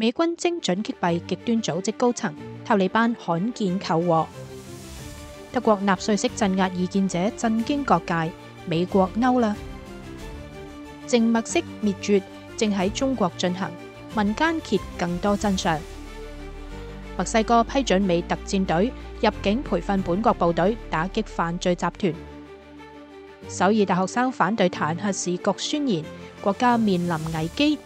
美軍精準擊斃極端組織高層，塔利班罕見求和。德國納粹式鎮壓異見者震驚各界，美國嬲啦。靜默式滅絕正喺中國進行，民間揭更多真相。墨西哥批准美特戰隊入境培訓本國部隊，打擊犯罪集團。首爾大學生反對彈劾時局宣言，國家面臨危機。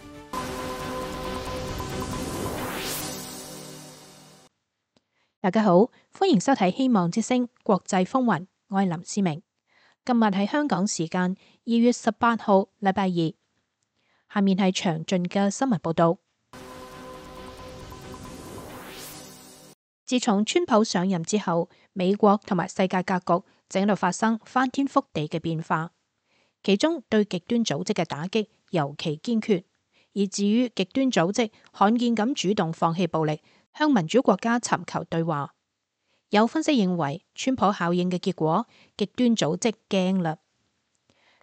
大家好，歡迎收睇《希望之聲》國際風雲，我係林思明。今日係香港時間2月18號，禮拜二。下面係詳盡嘅新聞報道。自從川普上任之後，美國同埋世界格局正喺度發生翻天覆地嘅變化，其中對極端組織嘅打擊尤其堅決，而至於極端組織罕見咁主動放棄暴力，向民主國家尋求對話。有分析認為，川普效應嘅結果，極端組織驚啦。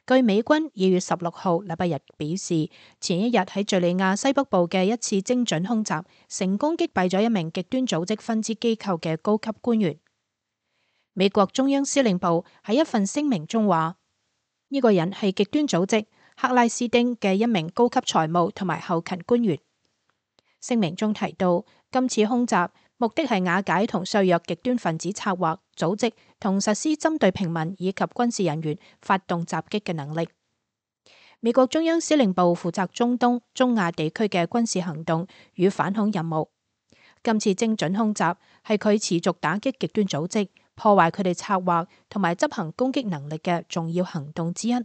據美軍2月16號禮拜日表示，前一日喺敘利亞西北部嘅一次精準空襲，成功擊斃咗一名極端組織分支機構嘅高級官員。美國中央司令部喺一份聲明中話，呢個人係極端組織克拉斯丁嘅一名高級財務同埋後勤官員。聲明中提到，今次空襲目的係瓦解同削弱極端分子策劃、組織同實施針對平民以及軍事人員發動襲擊嘅能力。美國中央司令部負責中東、中亞地區嘅軍事行動與反恐任務。今次精準空襲係佢持續打擊極端組織、破壞佢哋策劃同埋執行攻擊能力嘅重要行動之一。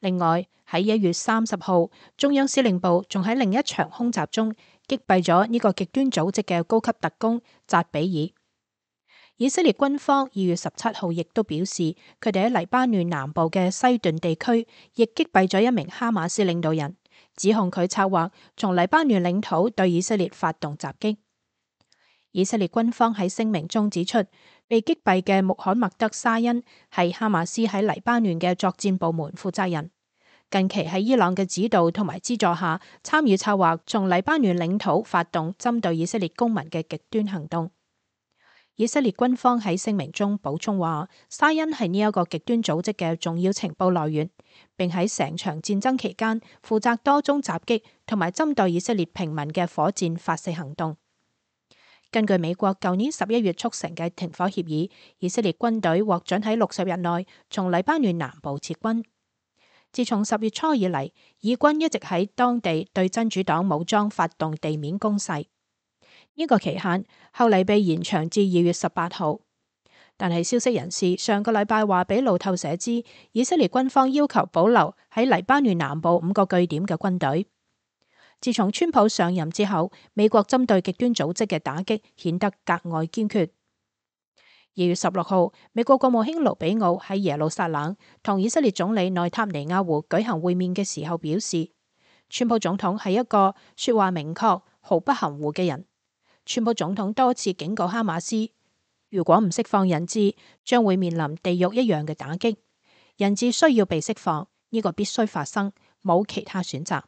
另外喺1月30號，中央司令部仲喺另一場空襲中擊斃咗呢個極端組織嘅高級特工扎比爾。以色列軍方2月17號亦都表示，佢哋喺黎巴嫩南部嘅西頓地區亦擊斃咗一名哈馬斯領導人，指控佢策劃從黎巴嫩領土對以色列發動襲擊。以色列軍方喺聲明中指出，被擊斃嘅穆罕默德沙恩係哈馬斯喺黎巴嫩嘅作戰部門負責人，近期喺伊朗嘅指導同埋資助下，參與策劃從黎巴嫩領土發動針對以色列公民嘅極端行動。以色列軍方喺聲明中補充話，沙恩係呢一個極端組織嘅重要情報來源，並喺成場戰爭期間負責多宗襲擊同埋針對以色列平民嘅火箭發射行動。根據美國舊年11月促成嘅停火協議，以色列軍隊獲准喺60日內從黎巴嫩南部撤軍。自從10月初以嚟，以軍一直喺當地對真主黨武裝發動地面攻勢。呢個期限後嚟被延長至2月18號。但係消息人士上個禮拜話俾路透社知，以色列軍方要求保留喺黎巴嫩南部5個據點嘅軍隊。自從川普上任之後，美國針對極端組織嘅打擊顯得格外堅決。2月16號，美國國務卿盧比奧喺耶路撒冷同以色列總理內塔尼亞胡舉行會面嘅時候表示，川普總統係一個說話明確、毫不含糊嘅人。川普總統多次警告哈馬斯，如果唔釋放人質，將會面臨地獄一樣嘅打擊。人質需要被釋放，呢個必須發生，冇其他選擇。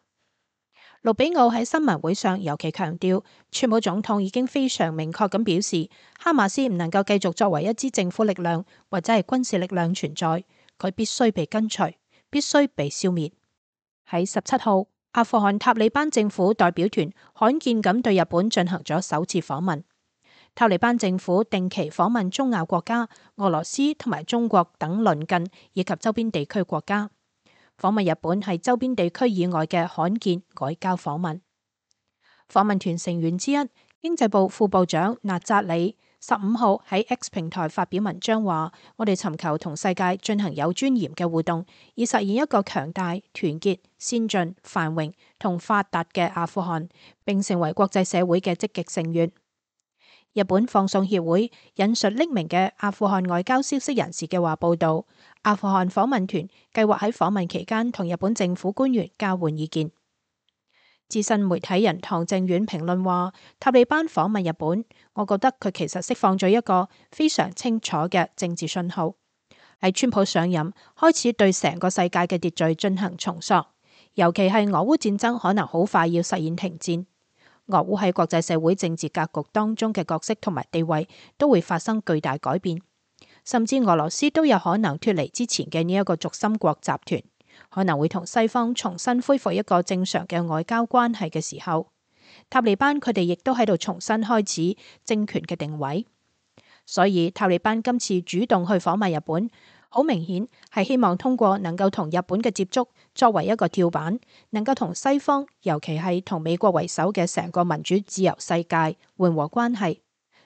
盧比奧喺新聞會上尤其強調，川普總統已經非常明確咁表示，哈馬斯唔能夠繼續作為一支政府力量或者係軍事力量存在，佢必須被根除，必須被消滅。喺17號，阿富汗塔利班政府代表團罕見咁對日本進行咗首次訪問。塔利班政府定期訪問中亞國家、俄羅斯同埋中國等鄰近以及周邊地區國家。訪問日本係周邊地區以外嘅罕見外交訪問。訪問團成員之一，經濟部副部長納扎里15號喺 X 平台發表文章話，我哋尋求同世界進行有尊嚴嘅互動，以實現一個強大、團結、先進、繁榮同發達嘅阿富汗，並成為國際社會嘅積極成員。日本放送協會引述匿名嘅阿富汗外交消息人士嘅話報道，阿富汗訪問團計劃喺訪問期間同日本政府官員交換意見。資深媒體人唐正遠評論話，塔利班訪問日本，我覺得佢其實釋放咗一個非常清楚嘅政治信號，喺川普上任開始對成個世界嘅秩序進行重塑，尤其係俄烏戰爭可能好快要實現停戰。俄烏喺國際社會政治格局當中嘅角色同埋地位都會發生巨大改變，甚至俄羅斯都有可能脫離之前嘅呢一個軸心國集團，可能會同西方重新恢復一個正常嘅外交關係嘅時候，塔利班佢哋亦都喺度重新開始政權嘅定位。所以塔利班今次主動去訪問日本，好明顯係希望通過能夠同日本嘅接觸作為一個跳板，能夠同西方，尤其係同美國為首嘅成個民主自由世界緩和關係。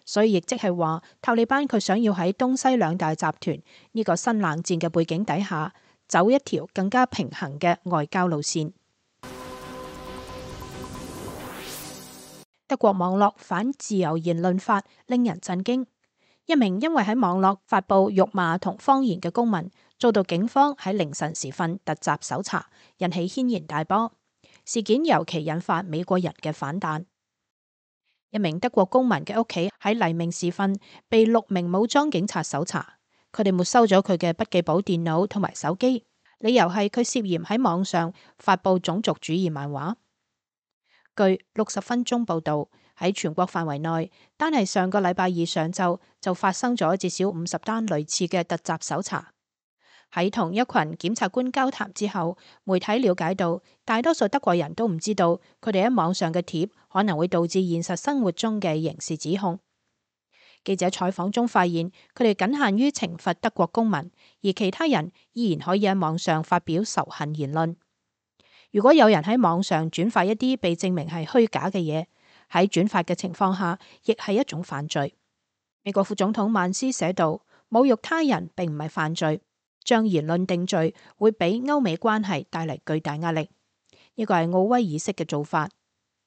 所以亦即係話，塔利班佢想要喺東西兩大集團呢個新冷戰嘅背景底下，走一條更加平衡嘅外交路線。德國網絡反自由言論法令人震驚，一名因為喺網絡發布辱罵同謊言嘅公民，遭到警方喺凌晨時分突襲搜查，引起軒然大波。事件尤其引發美國人嘅反彈。一名德國公民嘅屋企喺黎明時分被6名武裝警察搜查，佢哋沒收咗佢嘅筆記簿電腦同埋手機，理由係佢涉嫌喺網上發布種族主義漫畫。據60分鐘報道，喺全國範圍內，單係上個禮拜二上晝就發生咗至少50單類似嘅突襲搜查。喺同一群檢察官交談之後，媒體了解到，大多數德國人都唔知道佢哋喺網上嘅貼可能會導致現實生活中嘅刑事指控。記者採訪中發現，佢哋僅限於懲罰德國公民，而其他人依然可以喺網上發表仇恨言論。如果有人喺網上轉發一啲被證明係虛假嘅嘢，喺轉發嘅情況下，亦係一種犯罪。美國副總統曼斯寫道：侮辱他人並唔係犯罪。將言論定罪會俾歐美關係帶嚟巨大壓力，呢個係奧威爾式嘅做法。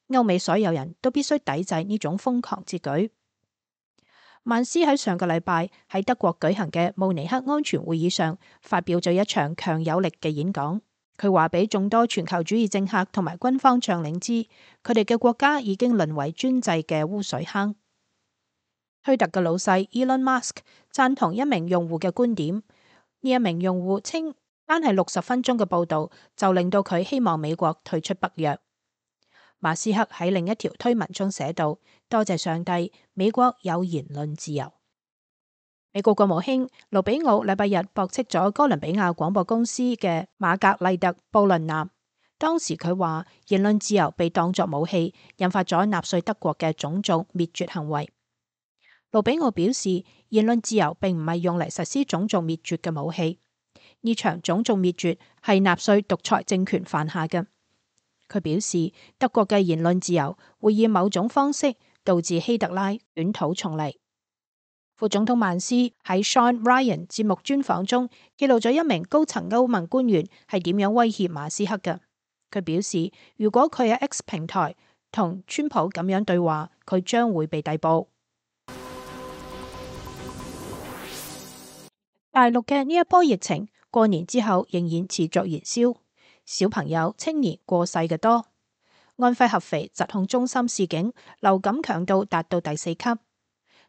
歐美所有人都必須抵制呢種瘋狂之舉。曼斯喺上個禮拜喺德國舉行嘅慕尼黑安全會議上發表咗一場強有力嘅演講。佢話俾眾多全球主義政客同埋軍方將領知，佢哋嘅國家已經淪為專制嘅污水坑。推特嘅老細 Elon Musk 贊同一名用戶嘅觀點。呢一名用戶稱，單係60分鐘嘅報道就令到佢希望美國退出北約。馬斯克喺另一條推文中寫道：多謝上帝，美國有言論自由。美國國務卿盧比奧禮拜日駁斥咗哥倫比亞廣播公司嘅瑪格麗特布倫南，當時佢話言論自由被當作武器，引發咗納粹德國嘅種族滅絕行為。盧比奧表示，言論自由並唔係用嚟實施種族滅絕嘅武器，呢場種族滅絕係納粹獨裁政權犯下嘅。佢表示，德國嘅言論自由會以某種方式導致希特拉捲土重嚟。副總統曼斯喺 Sean Ryan 節目專訪中記錄咗一名高層歐盟官員係點樣威脅馬斯克嘅。佢表示，如果佢喺 X 平台同川普咁樣對話，佢將會被逮捕。大陸嘅呢一波疫情過年之後仍然持續燃燒，小朋友、青年過世嘅多。安徽合肥疾控中心示警，流感強度達到第4級。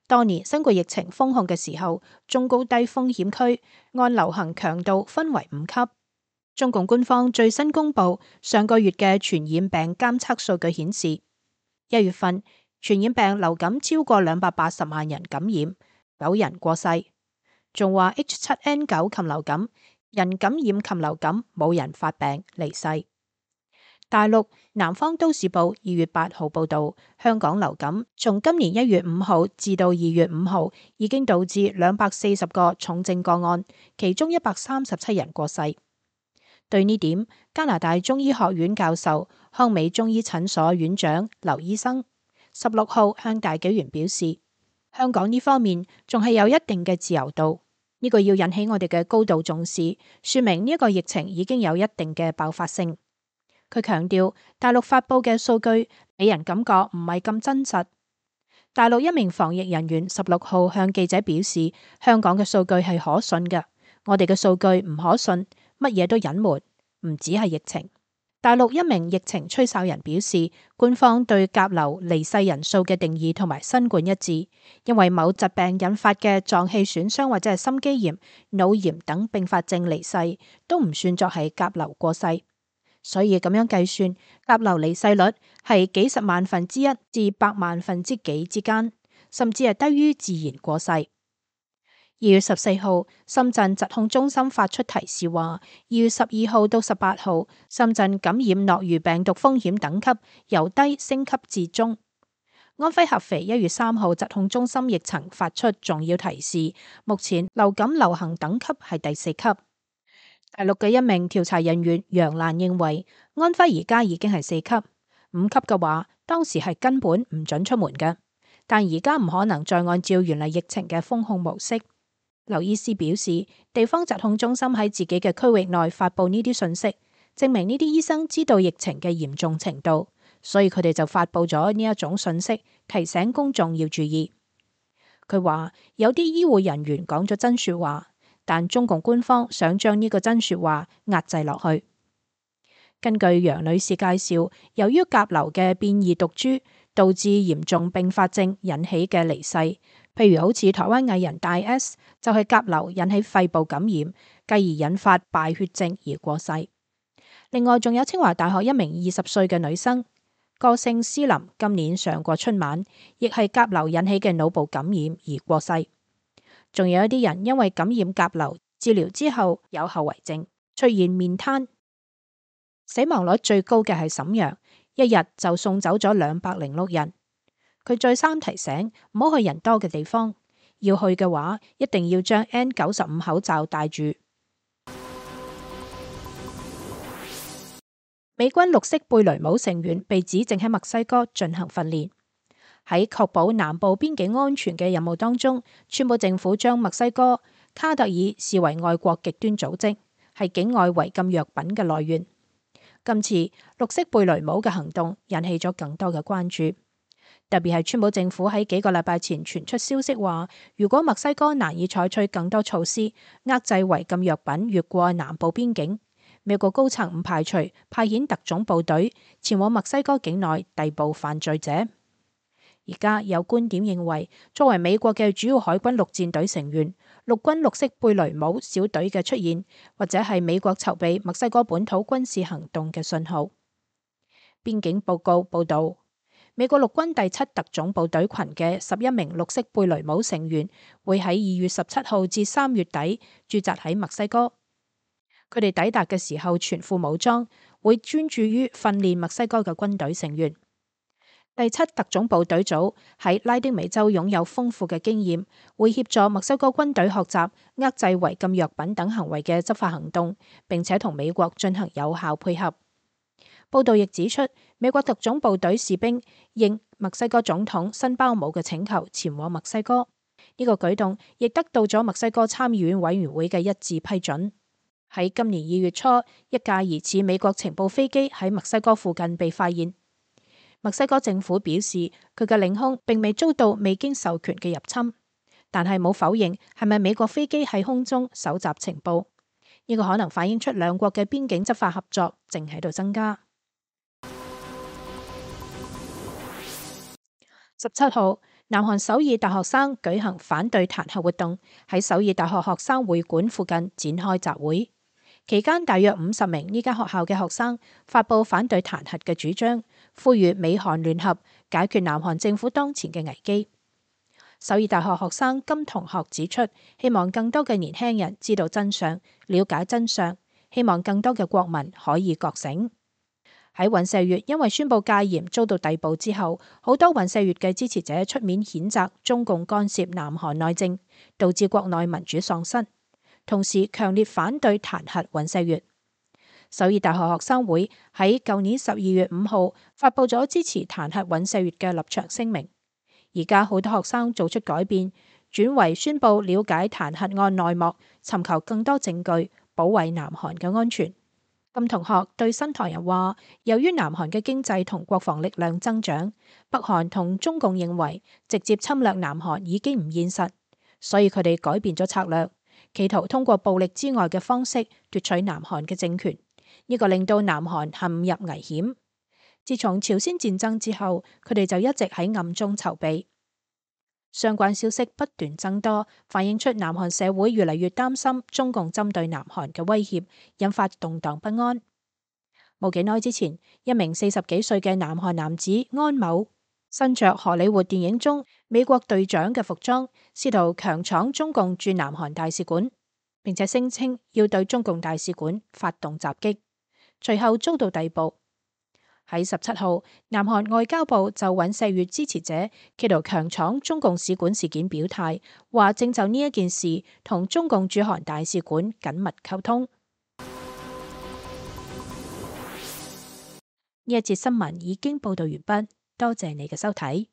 當年新冠疫情封控嘅時候，中高低風險區按流行強度分為5級。中共官方最新公布上個月嘅傳染病監測數據顯示，1月份傳染病流感超過280萬人感染，9人過世。仲話 H7N9 禽流感人感染禽流感冇人發病離世。大陸南方都市報2月8號報道，香港流感從今年1月5號至到2月5號已經導致240個重症個案，其中137人過世。對呢點，加拿大中醫學院教授、康美中醫診所院長劉醫生16號向大紀元表示，香港呢方面仲係有一定嘅自由度。呢個要引起我哋嘅高度重視，說明呢一個疫情已經有一定嘅爆發性。佢強調，大陸發布嘅數據俾人感覺唔係咁真實。大陸一名防疫人員16號向記者表示，香港嘅數據係可信嘅，我哋嘅數據唔可信，乜嘢都隱瞞，唔止係疫情。大陸一名疫情吹哨人表示，官方對甲流離世人數嘅定義同埋新冠一致，因為某疾病引發嘅臟器損傷或者係心肌炎、腦炎等併發症離世，都唔算作係甲流過世。所以咁樣計算，甲流離世率係幾十萬分之一至百萬分之幾之間，甚至係低於自然過世。2月14號，深圳疾控中心發出提示話，2月12號到18號，深圳感染諾如病毒風險等級由低升級至中。安徽合肥1月3號，疾控中心亦曾發出重要提示，目前流感流行等級係第4級。大陸嘅一名調查人員楊瀾認為，安徽而家已經係4級，5級嘅話，當時係根本唔准出門嘅，但而家唔可能再按照原嚟疫情嘅封控模式。劉醫師表示，地方疾控中心喺自己嘅區域內發布呢啲信息，證明呢啲醫生知道疫情嘅嚴重程度，所以佢哋就發布咗呢一種信息，提醒公眾要注意。佢話有啲醫護人員講咗真說話，但中共官方想將呢個真說話壓制落去。根據楊女士介紹，由於甲流嘅變異毒株導致嚴重併發症引起嘅離世，譬如好似台灣藝人大 S 就係甲流引起肺部感染，繼而引發敗血症而過世。另外仲有清華大學一名20歲嘅女生，歌星詩琳今年上過春晚，亦係甲流引起嘅腦部感染而過世。仲有一啲人因為感染甲流治療之後有後遺症，出現面癱。死亡率最高嘅係瀋陽，一日就送走咗206人。佢再三提醒唔好去人多嘅地方，要去嘅話一定要將 N95 口罩戴住。美軍綠色貝雷帽成員被指正喺墨西哥進行訓練。喺確保南部邊境安全嘅任務當中，川普政府將墨西哥卡特爾視為外國極端組織，係境外違禁藥品嘅來源。今次綠色貝雷帽嘅行動引起咗更多嘅關注，特別係川普政府喺幾個禮拜前傳出消息話，如果墨西哥難以採取更多措施遏制違禁藥品越過南部邊境，美國高層唔排除派遣特種部隊前往墨西哥境內逮捕犯罪者。而家有觀點認為，作為美國嘅主要海軍陸戰隊成員，陸軍綠色貝雷帽小隊嘅出現，或者係美國籌備墨西哥本土軍事行動嘅信號。邊境報告報道，美國陸軍第7特種部隊群嘅11名綠色貝雷帽成員會喺2月17號至3月底駐紮喺墨西哥。佢哋抵達嘅時候全副武裝，會專注於訓練墨西哥嘅軍隊成員。第7特種部隊組喺拉丁美洲擁有豐富嘅經驗，會協助墨西哥軍隊學習遏制違禁藥品等行為嘅執法行動，並且同美國進行有效配合。報道亦指出，美國特種部隊士兵應墨西哥總統辛巴姆嘅請求前往墨西哥，呢個舉動亦得到咗墨西哥參議院委員會嘅一致批准。喺今年2月初，一架疑似美國情報飛機喺墨西哥附近被發現。墨西哥政府表示，佢嘅領空並未遭到未經授權嘅入侵，但係冇否認係咪美國飛機喺空中搜集情報。呢個可能反映出兩國嘅邊境執法合作正喺度增加。17號，南韓首爾大學生舉行反對彈劾活動，喺首爾大學學生會館附近展開集會。期間，大約50名呢間學校嘅學生發佈反對彈劾嘅主張，呼籲美韓聯合解決南韓政府當前嘅危機。首爾大學學生金同學指出，希望更多嘅年輕人知道真相，了解真相，希望更多嘅國民可以覺醒。喺尹錫悅因為宣布戒嚴遭到逮捕之後，好多尹錫悅嘅支持者出面譴責中共干涉南韓內政，導致國內民主喪失。同時強烈反對彈劾尹錫悅。首爾大學學生會喺舊年12月5號發布咗支持彈劾尹錫悅嘅立場聲明。而家好多學生做出改變，轉為宣布了解彈劾案內幕，尋求更多證據，保衛南韓嘅安全。金同學對新唐人話，由於南韓嘅經濟同國防力量增長，北韓同中共認為直接侵略南韓已經唔現實，所以佢哋改變咗策略。企圖通過暴力之外嘅方式奪取南韓嘅政權，呢個令到南韓陷入危險。自從朝鮮戰爭之後，佢哋就一直喺暗中籌備。相關消息不斷增多，反映出南韓社會越嚟越擔心中共針對南韓嘅威脅，引發動盪不安。冇幾耐之前，一名40幾歲嘅南韓男子安某，身着荷里活電影中美國隊長嘅服裝，試圖強闖中共駐南韓大使館，並且聲稱要對中共大使館發動襲擊，隨後遭到逮捕。喺17號，南韓外交部就尹錫悅支持者企圖強闖中共使館事件表態，話正就呢一件事同中共駐韓大使館緊密溝通。呢一節新聞已經報道完畢，多謝你嘅收睇。